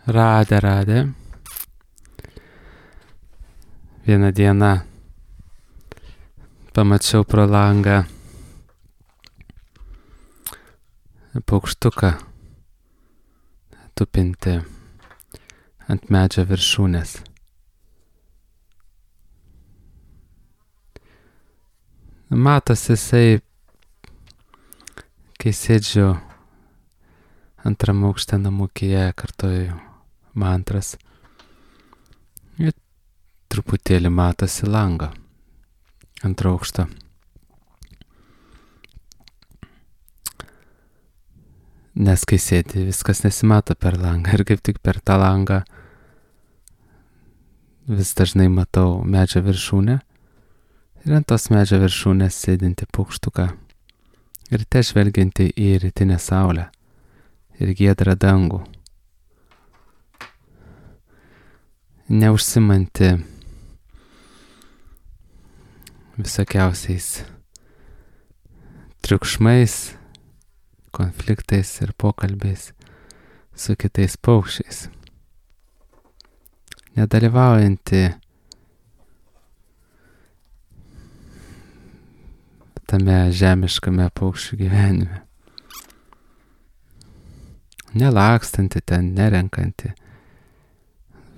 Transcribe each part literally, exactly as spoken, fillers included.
Radę, radę. Vieną dieną pamačiau pro langą paukštuką tupinti ant medžio viršūnės. Matosi jisai, kai sėdžiu antram aukšte namukyje, kartoju mantras. Ir truputėlį matosi lango antro aukšto. Nes kai sėdi, viskas nesimato per langą ir kaip tik per tą langą vis dažnai matau medžio viršūnę ir ant tos medžio viršūnės sėdinti paukštuką ir te žvelgianti į rytinę saulę ir giedrą dangų. Neužsimanti visokiausiais triukšmais, konfliktais ir pokalbiais su kitais paukščiais. Nedalyvaujanti tame žemiškame paukščių gyvenime. Nelakstanti ten, nerenkanti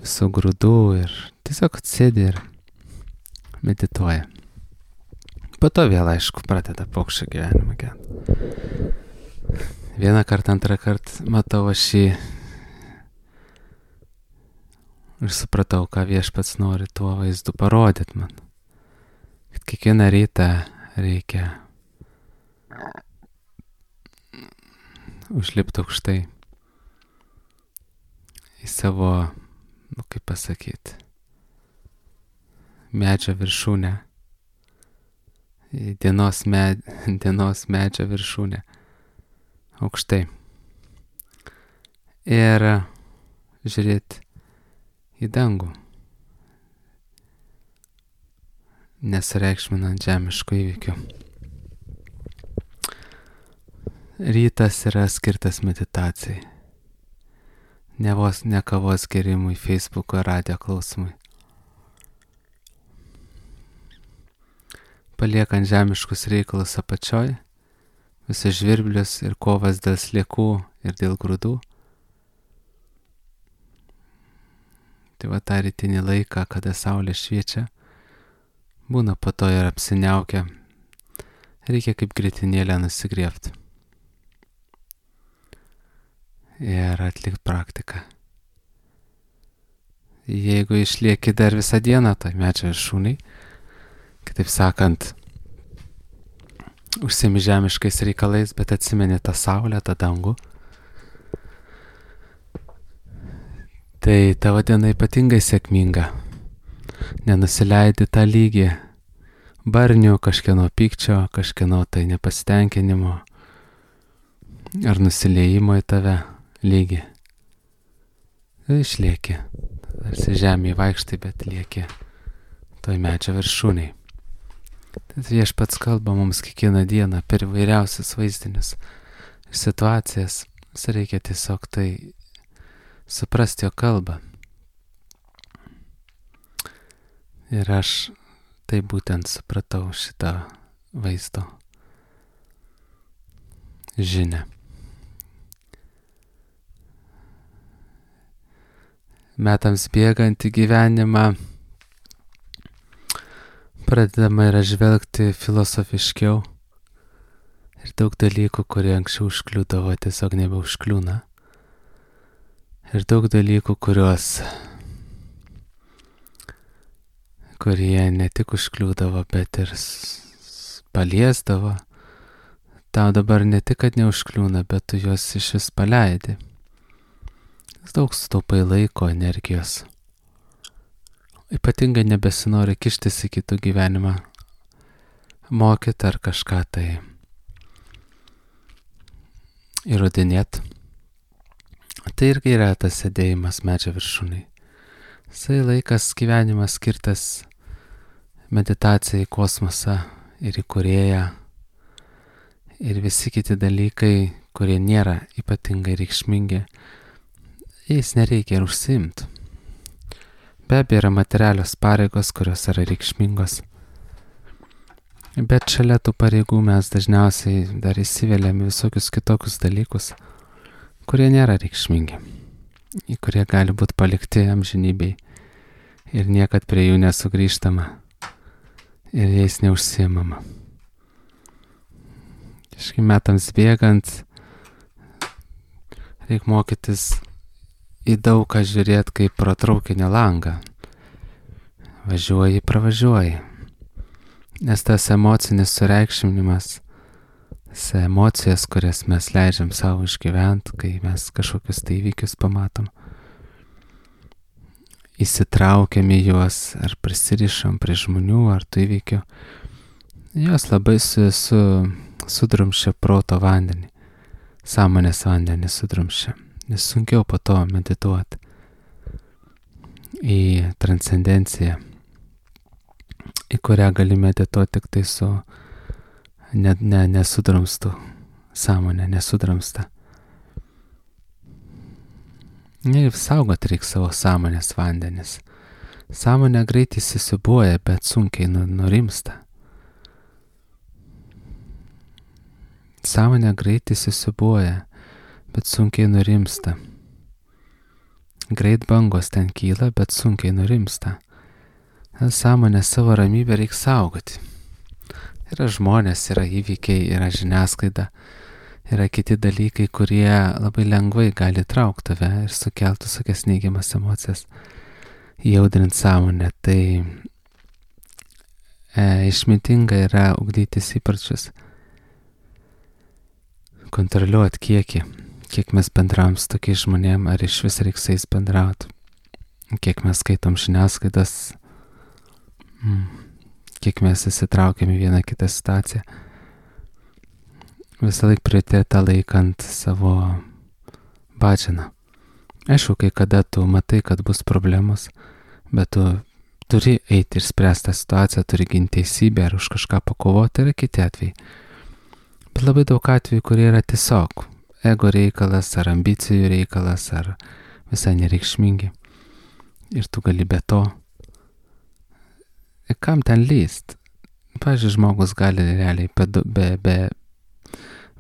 visų grūdų ir tiesiog atsėdi ir medituoja. Po to vėl, aišku, pradeda paukščio gyvenimą gyventi. Vieną kartą, antrą kartą matau aš jį ir supratau, ką Viešpats nori tuo vaizdu parodyti man. Kad kiekvieną rytą reikia užlipti aukštai į savo, nu kaip pasakyti, medžio viršūnę, į dienos, med, dienos medžio viršūnę, aukštai. Ir žiūrėti į dangų, nesureikšminant žemiškų įvykių. Rytas yra skirtas meditacijai. Ne vos ne kavos gerimui, Facebooko radijo klausimui. Paliekant žemiškus reikalus apačioj, visus žvirblius ir kovas dėl sliekų ir dėl grūdų. Tai va tą rytinį laiką, kada saulė šviečia, būna po to ir apsiniaukia. Reikia kaip grietinėlę nusigriebti. Ir atlikti praktiką. Jeigu išlieki dar visą dieną toj medžio viršūnėj, kitaip sakant, užsiimi žemiškais reikalais, bet atsimeni tą saulę, tą dangų, tai tavo diena ypatingai sėkminga. Nenusileidi tą lygį barnių, kažkieno pykčio, kažkieno tai nepasitenkinimo ar nusileimo į tave lygį. Išlieki. Tarsi žemėje vaikštai, bet lieki toj medžio viršūnėj. Tad Viešpats kalba mums kiekvieną dieną per įvairiausius vaizdinius ir situacijas. Vis reikia tiesiog tai suprasti jo kalbą. Ir aš tai būtent supratau šitą vaizdo žinią. Metams bėgant į gyvenimą pradedama yra žvelgti filosofiškiau ir daug dalykų, kurie anksčiau užkliūdavo, tiesiog nebeužkliūna. Ir daug dalykų, kuriuos kurie ne tik užkliūdavo, bet ir paliesdavo, tau dabar ne tik, kad neužkliūna, bet tu juos iš vis paleidi. Daug sutaupai laiko, energijos. Ypatingai nebesinori kištis į kitų gyvenimą, mokyti ar kažką tai įrodinėti. Tai irgi yra tas sėdėjimas medžio viršūnėj. Visai laikas gyvenimas skirtas meditacijai į kosmosą ir į kūrėją ir visi kiti dalykai, kurie nėra ypatingai reikšmingi, jais nereikia ir užsiimti. Be abejo yra materialios pareigos, kurios yra reikšmingos. Bet šalia tų pareigų mes dažniausiai dar įsiveliam visokius kitokius dalykus, kurie nėra reikšmingi, į kurie gali būti palikti amžinybei ir niekad prie jų nesugrįžtama ir jais neužsiimama. Kažkaip metams bėgant reik mokytis į daug ką žiūrėti kaip pro traukinio langą. Važiuoji, pravažiuoji. Nes tas emocinis sureikšminimas, tas emocijas, kurias mes leidžiam savo išgyventi, kai mes kažkokius tai įvykius pamatom, įsitraukiam į juos, ar prisirišam prie žmonių, ar tų įvykių, jos labai su, su, sudrumščia proto vandenį, sąmonės vandenį sudrumščia, nes sunkiau po to medituoti į transcendenciją, į kurią gali medituoti tik tai su ne, ne, nesudrumstu sąmonė, nesudrumsta. Ir saugot reikia savo sąmonės vandenis. Sąmonė greit įsisiūbuoja, bet sunkiai nurimsta. Sąmonė greit įsisiūbuoja, bet sunkiai nurimsta. Greit bangos ten kyla, bet sunkiai nurimsta. Sąmonę savo ramybę reikia saugoti. Yra žmonės, yra įvykiai, yra žiniasklaida, yra kiti dalykai, kurie labai lengvai gali traukti tave ir sukelti tokias neigiamas emocijas, jaudrinti sąmonę. Tai e, išmintinga yra ugdytis įpročius, kontroliuoti kiekį, kiek mes bendravom su tokiais žmonėm, ar iš vis reiks su jais bendrauti, kiek mes skaitom žiniasklaidas, kiek mes įsitraukiam į vieną kitą situaciją. Visą laik prioritetą laikant savo badžiną. Aišku, kai kada tu matai, kad bus problemos, bet tu turi eiti ir spręsti tą situaciją, turi ginti teisybę ar už kažką pakovoti, yra kiti atvejai. Bet labai daug atvejų, kurie yra tiesiog ego reikalas, ar ambicijų reikalas, ar visai nereikšmingi. Ir tu gali be to. Ir kam ten lyst? Pavyzdžiui, žmogus gali realiai be, be, be,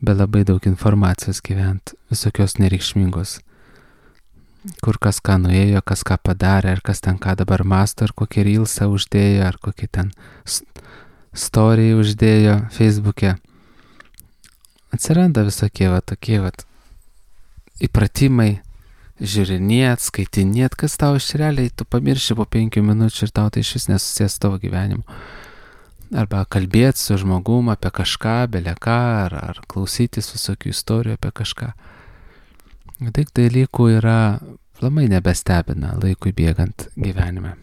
be labai daug informacijos gyventi, visokios nereikšmingos. Kur kas ką nuėjo, kas ką padarė, ar kas ten ką dabar masto, ar kokį reelsą uždėjo, ar kokį ten story uždėjo Facebook'e. Atsiranda visokie va tokie va įpratimai, žiūrinėt, skaitinėt, kas tau iš realiai, tu pamirši po penkių minučių ir tau tai iš vis nesusijęs tavo gyvenimu. Arba kalbėti su žmogum apie kažką, bele ką, ar, ar klausytis visokių istorijų apie kažką. Daug dalykų yra labai nebestebina laikui bėgant gyvenime.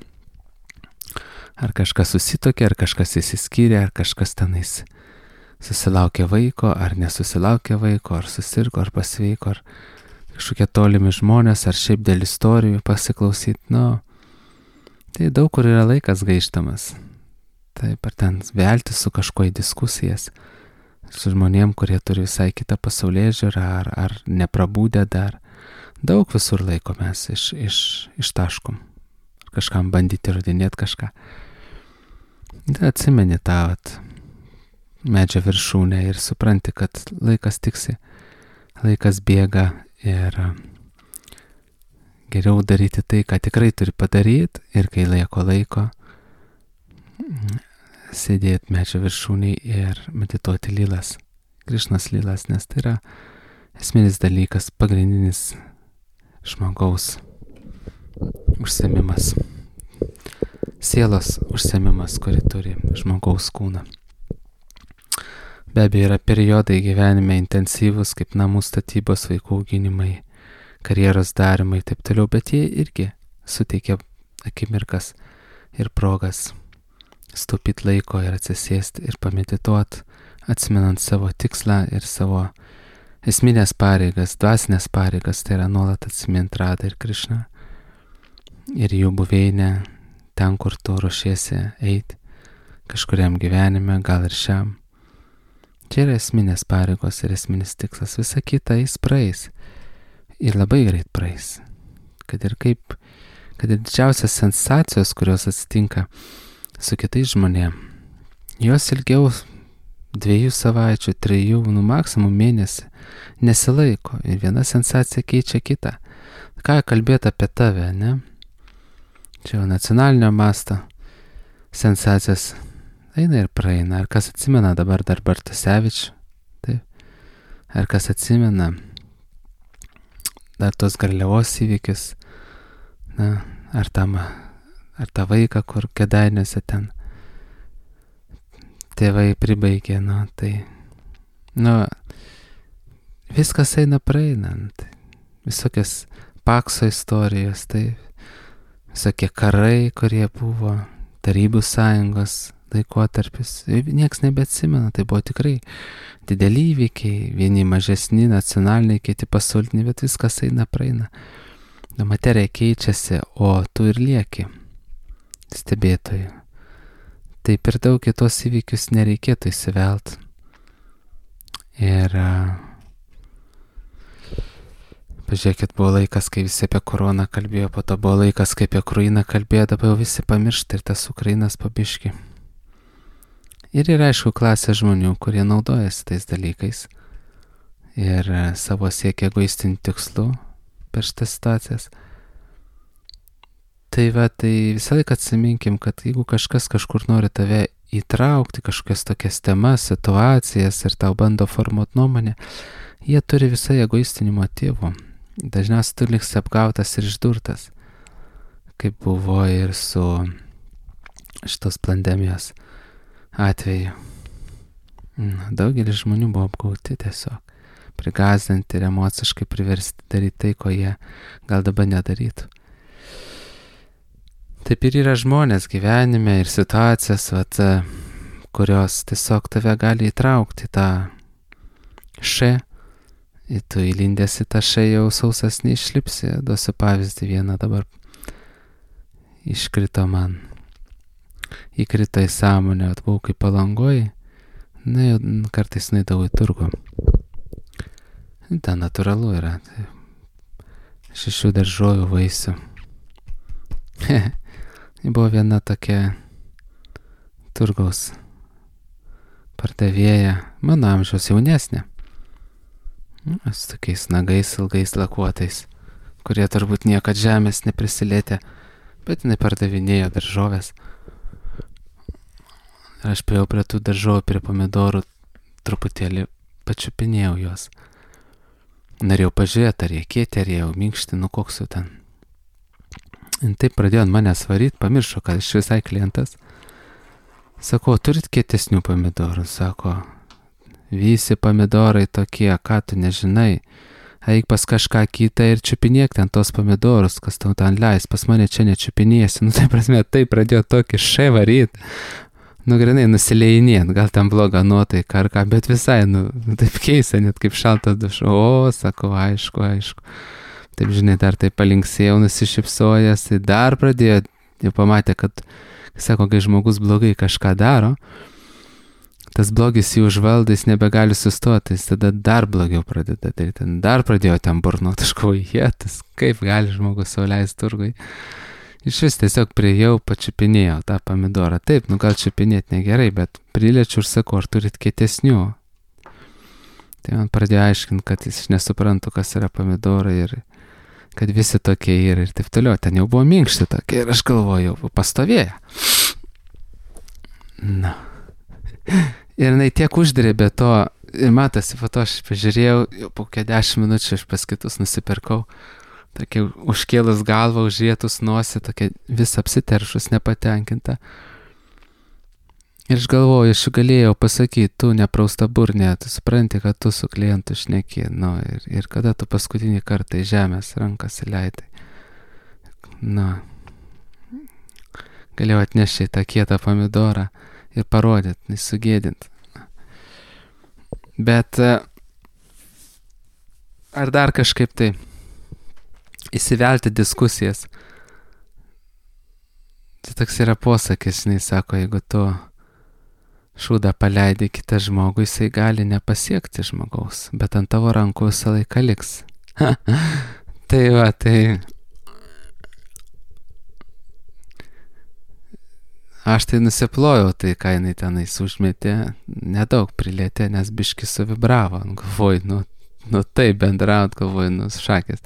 Ar kažkas susitokė, ar kažkas įsiskyrė, ar kažkas tenais susilaukė vaiko, ar nesusilaukė vaiko, ar susirgo, ar pasveiko, ar kažkokie tolimi žmonės, ar šiaip dėl istorijų pasiklausyti. Nu, tai daug kur yra laikas gaištamas. Taip, ar ten velti su kažkuo į diskusijas, su žmonėm, kurie turi visai kitą pasaulėžiūrą, ar, ar neprabūdę dar. Daug visur laiko mes iš, iš, ištaškom. Ar kažkam bandyti įrodinėti kažką. Tai atsimeni tą vat, medžio viršūnę ir supranti, kad laikas tiksi, laikas bėga ir geriau daryti tai, ką tikrai turi padaryti ir kai laiko laiko sėdėti medžio viršūnėj ir medituoti lilas, Krišnos lilas, nes tai yra esminis dalykas, pagrindinis žmogaus užsiėmimas, sielos užsiėmimas, kuri turi žmogaus kūną. Be abejo, yra periodai gyvenime intensyvus, kaip namų statybos, vaikų auginimai, karjeros darimai ir taip toliau, bet jie irgi suteikia akimirkas ir progas stupyti laiko ir atsisėsti ir pamedituoti, atsimenant savo tikslą ir savo esminės pareigas, dvasinės pareigas, tai yra nuolat atsimint Radą ir Krišną ir jų buveinę ten, kur tu ruošiesi eiti kažkuriam gyvenime, gal ir šiam. Čia yra esminės pareigos ir esminis tikslas. Visa kita jis praeis. Ir labai greit praeis. kad ir kaip, kad ir didžiausias sensacijos, kurios atsitinka su kitais žmonėm, jos ilgiau dviejų savaičių, trijų, nu maksimum mėnesį nesilaiko ir viena sensacija keičia kitą. Ką kalbėti apie tave, ne? Čia jau nacionalinio masto sensacijos eina ir praeina. Ar kas atsimena dabar dar Bartusevičių? Taip. Ar kas atsimena dar tos Garliavos įvykius? Na, ar, tam, ar tą vaiką, kur Kėdainiuose ten tėvai pribaigė, nu, tai, nu, viskas eina praeinant. Visokias Pakso istorijos, tai visokie karai, kurie buvo, Tarybų sąjungos laikotarpis, nieks nebeatsimena, tai buvo tikrai dideli įvykiai, vieni mažesni, nacionaliniai, kiti pasauliniai, bet viskas eina praeina. Nu, materija keičiasi, o tu ir lieki stebėtoju. Tai per daug kitos įvykius nereikėtų įsivelt. Ir pažiūrėkit, buvo laikas, kai visi apie koroną kalbėjo, po to buvo laikas, kai apie Ukrainą kalbėjo, dabar jau visi pamiršta ir tas Ukrainas pabiški. Ir yra, aišku, klasė žmonių, kurie naudojasi tais dalykais ir savo siekia egoistinių tikslų per šitas situacijas. Tai va, tai visą laiką atsiminkim, kad jeigu kažkas kažkur nori tave įtraukti, kažkokias tokias temas, situacijas ir tau bando formuoti nuomonę, jie turi visai egoistinių motyvų. Dažniausiai tu liksi apgautas ir išdurtas, kaip buvo ir su šitos pandemijos atveju. Daugelis žmonių buvo apgauti tiesiog, prigąsdinti ir emociškai priversti daryti tai, ko jie gal dabar nedarytų. Taip ir yra žmonės gyvenime ir situacijas, vat, kurios tiesiog tave gali įtraukti tą še. Ir tu įlindęs į tą še jau sausas neišlipsi. Duosiu pavyzdį vieną dabar. Iškrito man. Įkrito į sąmonę, atbuvau kaip Palangoj. Na, jau kartais nueidavau į turgų. Ten natūralu yra. Tai šešių daržovių vaisių. Buvo viena tokia turgaus pardavėja, mano amžiaus jaunesnė. Su tokiais nagais, ilgais lakuotais, kurie turbūt niekad žemės neprisilietė, bet jinai pardavinėjo daržovės. Ir aš priejau prie tų daržovių, prie pomidorų, truputėlį pačiupinėjau juos. Norėjau pažiūrėti, ar jie kieti, ar jie jau minkšti, nu koks jau ten. Ir taip pradėjo ant manęs varyti, pamiršo, kad aš visai klientas. Sako, turit kietesnių pomidorų? Sako, visi pomidorai tokie, ką tu nežinai. Eik pas kažką kitą ir čiupinėk ten tos pomidorus, kas tau ten leis, pas mane čia nečiupinėsi. Nu, tai prasme, tai pradėjo tokį še varyt. Nu, grinai, nusileidinėt, gal ten bloga nuotaika ar ką, bet visai, nu, taip keista, net kaip šaltas dušo. O, sako, aišku, aišku. Taip, žinai, dar taip palinksėjau, nusišypsojęs, tai dar pradėjo, jau pamatė, kad, sako, kai žmogus blogai kažką daro, tas blogis jį užvaldo, jis nebegali sustoti, jis tada dar blogiau pradeda daryti, dar pradėjo ten burnuoti, aš galvoju, jėtas, kaip gali žmogus sau leisti turgui. Iš vis tiesiog priejau, pačiupinėjau tą pomidorą. Taip, nu gal čiupinėti negerai, bet priliečiu ir sakau, ar turit kietesnių. Tai man pradėjo aiškinti, kad jis nesuprantu, kas yra pomidorai ir kad visi tokie yra ir taip toliau. Ten jau buvo minkšti tokie ir aš galvoju, pastovėję. Na. Ir jinai tiek uždrėbė to, ir matosi, po to aš pažiūrėjau, jau po dešimt minučių aš pas kitus nusipirkau, tokia užkėlus galvą, užrietus nosį, tokia vis apsiteršus, nepatenkinta. Ir aš galvoju, aš galėjau pasakyti, tu neprausta burnė, tu supranti, kad tu su klientu šneki, nu, ir, ir kada tu paskutinį kartą į žemės rankas įleidai. Nu, galėjau atnešti tą kietą pomidorą ir parodyti, sugėdinti. Bet ar dar kažkaip tai įsivelti diskusijas. Tai toks yra posakis, jis sako, jeigu tu šūdą paleidi kitą žmogų, jisai gali nepasiekti žmogaus, bet ant tavo rankų visą laiką liks. Tai va, tai Aš tai nusiplojau, tai ką jinai tenais užmetė, nedaug prilietė, nes biški suvibravo. Galvoju, nu, nu taip bendraut, galvoju, nu šakės.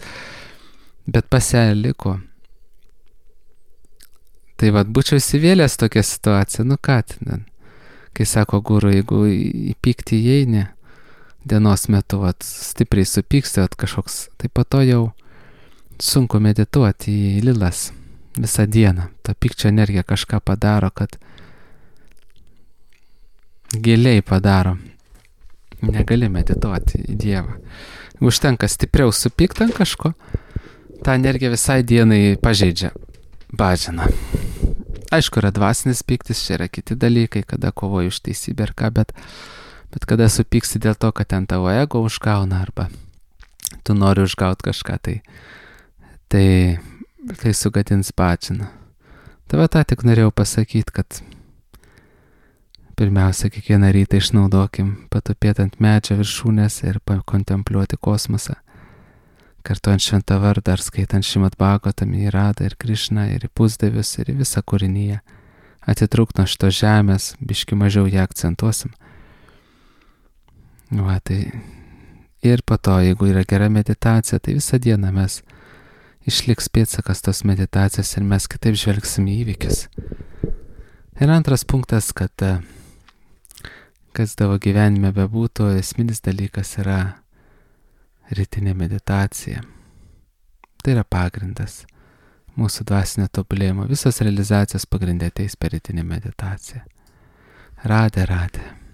Bet pas ją liko. Tai vad, būčiau įsivėlęs tokią situaciją, nu ką ten. Kai sako guru, jeigu į pyktį įeini dienos metu, vat, stipriai supyksti, vat, kažkoks, tai po to jau sunku medituoti į lilas visą dieną. Ta pykčio energija kažką padaro, kad giliai padaro. Negali medituoti į Dievą. Užtenka stipriau supykti ant kažko, ta energija visai dienai pažeidžia, bažina. Aišku, yra dvasinis pyktis, čia yra kiti dalykai, kada kovoji už teisybę ir ką, bet, bet kada supyksti dėl to, kad ten tavo ego užgauna arba tu nori užgauti kažką, tai, tai, tai sugadins bažiną. Tai va tą tik norėjau pasakyti, kad pirmiausia, kiekvieną rytą išnaudokim patupėti ant medžio viršūnės ir pakontempliuoti kosmosą. Kartuojant šventą vardą ar skaitant Šrimad Bhagavatam į Radą ir Krišną ir į pusdievius ir į visą kūrinyje. Atitrūkt nuo šito žemės, biški mažiau ją akcentuosim. Va, tai ir po to, jeigu yra gera meditacija, tai visą dieną mes išliks pėdsakas tos meditacijos ir mes kitaip žvelgsim į įvykius. Ir antras punktas, kad kas tavo gyvenime bebūtų, esminis dalykas yra rytinė meditacija. Tai yra pagrindas mūsų dvasinio tobulėjimo. Visos realizacijos pagrindė ateis per rytinę meditaciją. Radė, radė.